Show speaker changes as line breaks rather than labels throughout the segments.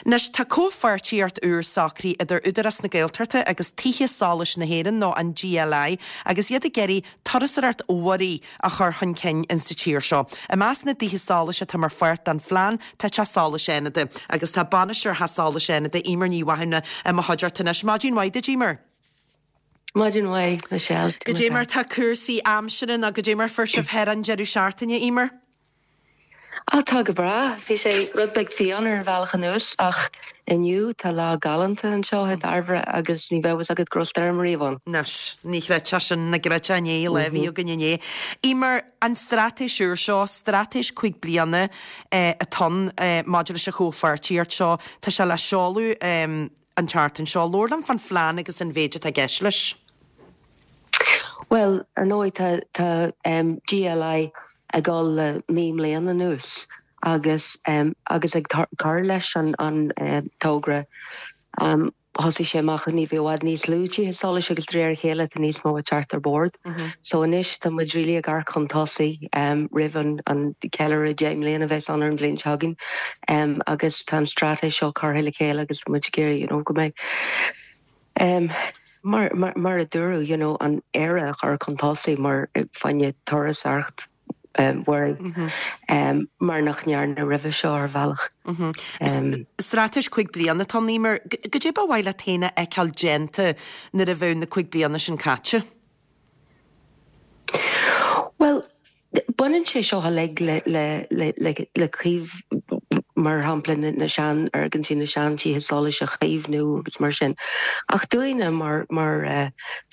Anois, tá comhpháirtíocht úr socraithe idir Údarás na Gaeltachta agus Tithe Solais na hÉireann, nó an GLI, agus iad ag iarraidh turasóireacht mhuirí a chur chun cinn in sa tír seo. I measc na dtithe solais atá mar pháirt den phlean tá Teach Solais Fhánada, agus tá bainisteoir Theach Solais Fhánada, Eimear Ní Mhathúna, i mo chuideachta anois. Maidin mhaith duit, Eimear.
Maidin mhaith, Michelle.
Goidé mar tá cúrsaí aimsire nó goidé mar fuair sibh thoir an deireadh seachtaine, Eimear?
Á, tá go breá. Bhí sé rud beag fiáin ar an bhealach anuas ach inniu tá lá galánta anseo i Dairbhre agus ní bheadh fhios agat go raibh stoirm
ariamh ann. Anois, ní chreidfeá sin, ní chreidfeá inné, an lá a bhí againn inné. Eimear, an straitéis úr seo, straitéis 5 bliana atá ann maidir leis an chomhpháirtíocht seo, tá sé le seoladh an tseachtain seo. Labhair liom fán phlean agus an mhéid atá i gceist leis.
Bhuel, ar ndóigh tá tá GLI ag dul le 9 mbliana anuas agus agus ag cur leis an an togra. Thosaigh sé amach ní bhí i bhfad níos lú tithe solais agus de réir a chéile tá níos mó ag teacht ar bord. So anois tá muid really ag amharc chun tosaigh roimh an an ceiliúradh 10 mbliana a bheas ann ar an bhliain seo chugainn agus tá an straitéis seo curtha le chéile agus tá muid ag iarraidh you know go mbeidh Mar, mar a dúradh, you know, an Éire a chur chun tosaigh mar fá choinne turasóireacht mhuirí, mar nach ndearnadh roimhe seo ar bhealach.
Straitéis 5 bliana atá ann, Eimear. Goidé ba mhaith leat féin a fheiceáil déanta nuair a bheadh na 5 bliana sin caite?
Bhuel, Baineann sé seo uilig le caomh, mar shampla na seanfhoirgintí, na seantithe solais a chaomhnú agus mar sin. Ach dúinne mar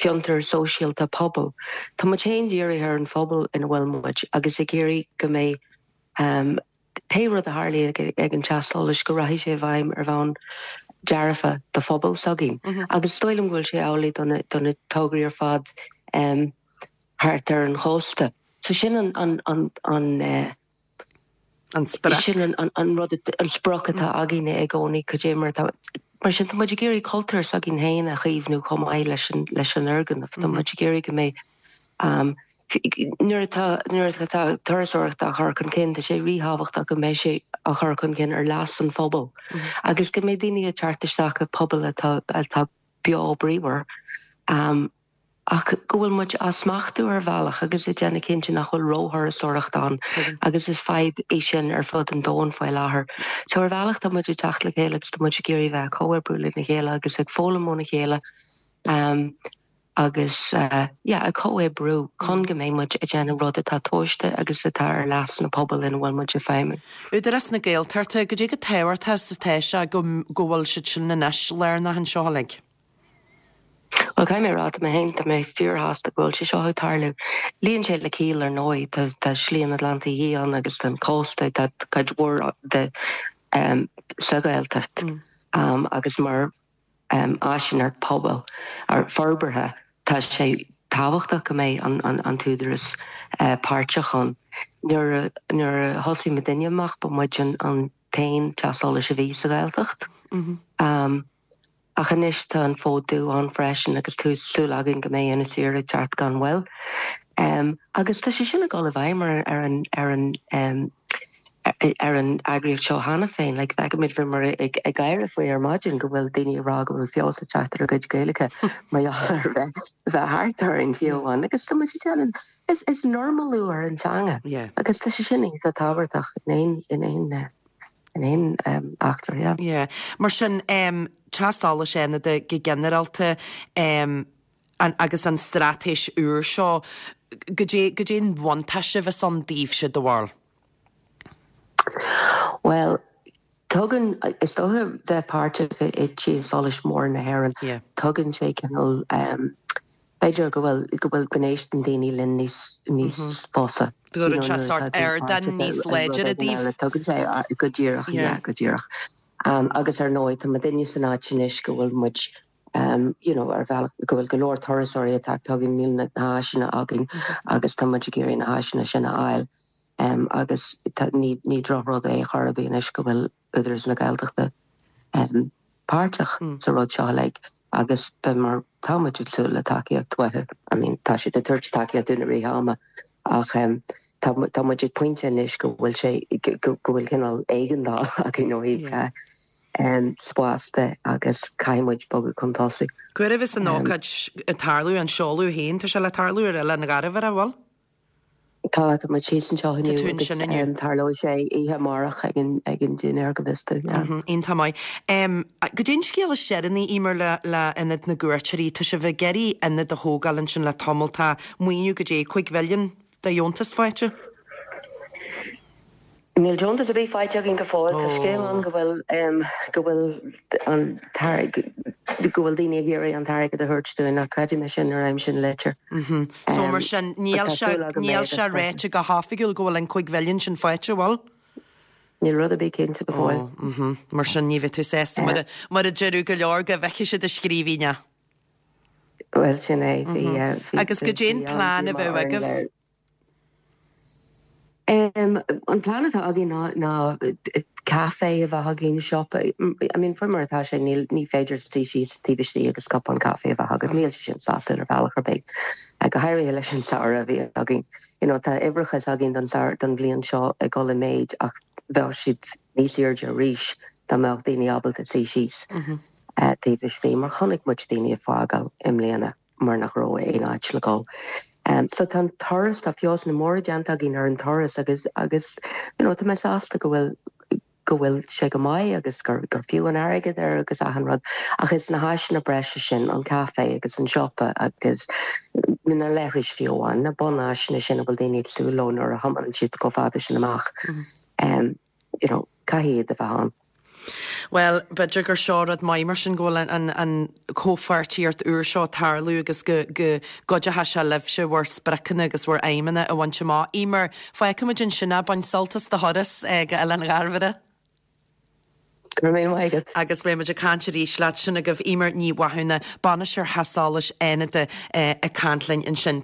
fiontar sóisialta pobail, tá muid féin dírithe ar an phobal ina bhfuil muid agus ag iarraidh go mbeidh pé rud a tharlaíonn ag an teach solais go rachaidh sé i bhfeidhm ar bhonn dearfa do phobal s'againn. Agus is dóigh liom go bhfuil sé amhlaidh do na tograí ar fad. thart ar an chósta. So sin an, an, an, an eh,
An sprioc.
Sin an, an, an rud, an sprioc atá againne i gcónaí, cad é mar atá, mar sin tá muid ag iarraidh cultúr s'againn féin a chaomhnú chomh maith leis an, leis an fhoirgneamh. Tá muid ag iarraidh go mbeidh, um, nuair atá, nuair atá turasóireacht á chur chun cinn, tá sé ríthábhachtach go mbeidh sé á chur chun cinn ar leas an phobail agus go mbeidh daoine ag teacht isteach i bpobail atá, atá beo bríomhar. Um, ach go bhfuil muid á smachtú ar bhealach agus ag déanamh cinnte nach bhfuil róthurasóireacht ann agus is fadhb í sin ar fud an domhain faoi láthair. So ar bhealach tá muid ag teacht le chéile agus tá muid ag iarraidh bheith ag comhoibriú lena chéile agus ag foghlaim óna chéile agus yeah ag comhoibriú chun go mbeidh muid ag déanamh rud atá tomhaiste agus atá ar leas na pobail ina bhfuil muid ag feidhmiú.
Údarás na Gaeltachta, goidé chomh tábhachtach is atá sé go go bhfuil siad sin anois lárnach anseo uilig?
Bhuel, caithfidh mé a rá, tá mé féin, tá mé fíorshásta go bhfuil sé seo ag tarlú. Luíonn sé le ciall, ar ndóigh, tá, tá Slí an Atlantaigh Fhiáin agus tá an cósta, tá cuid mhór de sa Ghaeltacht agus mar áiseanna pobail, forbartha, tá sé tábhachtach go mbeidh an t-údarás páirteach ann. Nuair a, nuair a thosaigh muidinne amach, ba muid an t-aon teach solais a bhí sa Ghaeltacht. Ach anois tá an Fód Dubh ann freisin agus tá súil againn go mbeidh Inis Oírr ag teacht gan mhoill. Agus tá sé sin ag dul i bhfeidhm ar ar an ar an ar an eagraíocht seo cheana féin. Like feicimid bhíomar ag ag gáire faoi ar maidin go bhfuil daoine ag rá go bhfuil feabhas ag teacht ar a gcuid Gaeilge mar gheall ar bheith bheith thart orainn fiú amháin. Agus tá muid ag déanamh is is normalú ar an teanga agus tá sé sin iontach tábhachtach in aon in aon in aon eachtra, yeah.
Yeah. Mar sin, Teach Solais Fhánada go ginearálta agus an straitéis úr seo, goidé, goidé an bhuntáiste a bheas ann daoibhse, do bharúil?
Bhuel, tugann, is dócha bheith páirteach i dTithe Solais Móra na hÉireann, tugann sé cineál, b'fhéidir go bhfuil, go bhfuil, go n-éisteann daoine linn níos, níos fusa.
Go gcuireann sé sórt ardán níos láidre daoibh.
Tugann sé, go díreach, yeah, go díreach. Agus ar ndóigh, tá muidinne san áit anois go bhfuil muid, you know, ar bhealach, go bhfuil go leor turasóirí ag teacht chugainn, níl na háiseanna againn agus tá muid ag iarraidh na háiseanna sin a fháil. Agus ní, ní drochrud é chor ar bith anois go bhfuil Údarás na Gaeltachta páirteach sa rud seo uilig agus beidh mar tá muid ag súil le tacaíocht uathu. I mean tá siad ag tabhairt tacaíocht dúinn i rith ama ach tá tá muid ag pointe anois go bhfuil sé go bhfuil cineál éigeandáil againn ó thaobh. Spás de agus caithfidh muid bogadh chun tosaigh.
Cá huair a bheas an ócáid ag tarlú, an seoladh féin, tá sé le tarlú ar Oileán Ghairbhir, an bhfuil?
Tá, tá muid thíos anseo inniu agus tarlóidh sé oíche amárach ag an ag an dinnéar go bhfios domh,
yeah. Iontach maith. Goidé an scéal is deireanaí, Emer, le le Ionad na gCuairteoirí? Tá sibh ag iarraidh ionad a thógáil ansin le tamall, tá maoiniú goidé 5 mhilliún de dheontas faighte?
Níl deontas ar bith faighte againn go fóill. Tá scéal ann go bhfuil go bhfuil an go bhfuil daoine ag iarraidh an t-airgead a thabhairt dúinn ach creidim é sin nuair a fhaighim an litir.
So mar sin níl sé níl sé ráite go hoifigiúil go bhfuil an 5 mhilliún sin faighte, an bhfuil?
Níl rud ar bith cinnte go
fóill. Mar sin ní bheidh tú sásta mar mar a deireadh go leor go bhfeicfidh siad i scríbhinn é.
Bhuel sin é.
Bhí Agus goidé an plean a bheadh agaibh?
An plean atá againn ná ná caife a bheith againn, siopa. I mean faoi mar atá sé níl ní féidir suí síos taobh istigh agus cupán caife a bheith agat. Níl sé sin sásúil ar bhealach ar bith. Go háirithe leis an samhradh a bhí againn. You know tá uimhreacha againn don don bhliain seo ag dul i méid ach bheadh siad níos airde arís dá mbeadh daoine ábalta suí síos taobh istigh mar chonaic muid daoine ag fágáil i mbliana. mar nach raibh aon áit le dul. So tá an turas, tá feabhsanna móra déanta againn ar an turas agus agus you know tá mé sásta go bhfuil go bhfuil sé go maith agus gur gur fiú an airgead air agus achan rud ach is na háiseanna breise sin, an caife agus an siopa agus na leithris fiú amháin, na bunáiseanna sin a bhfuil daoine ag súil leo nuair a thiomáineann siad chomh fada sin amach. You know, caithfidh iad a bheith ann.
Bhuel, b'fhéidir gur seo rud maith mar sin go bhfuil an an chomhpháirtíocht úr seo ag tarlú agus go go gcuideoidh sé libhse bhur spriocanna agus bhur aidhmeanna a bhaint amach. Emer, fágfaimid ansin é, bain sult as do thuras go Oileán Ghairbhire.
Go raibh míle maith agat.
Agus beidh muid ag caint arís leat. Sin agaibh Emer Ní Mhathúna, Bainisteoir Theach Solais Fhánada ag caint linn ansin.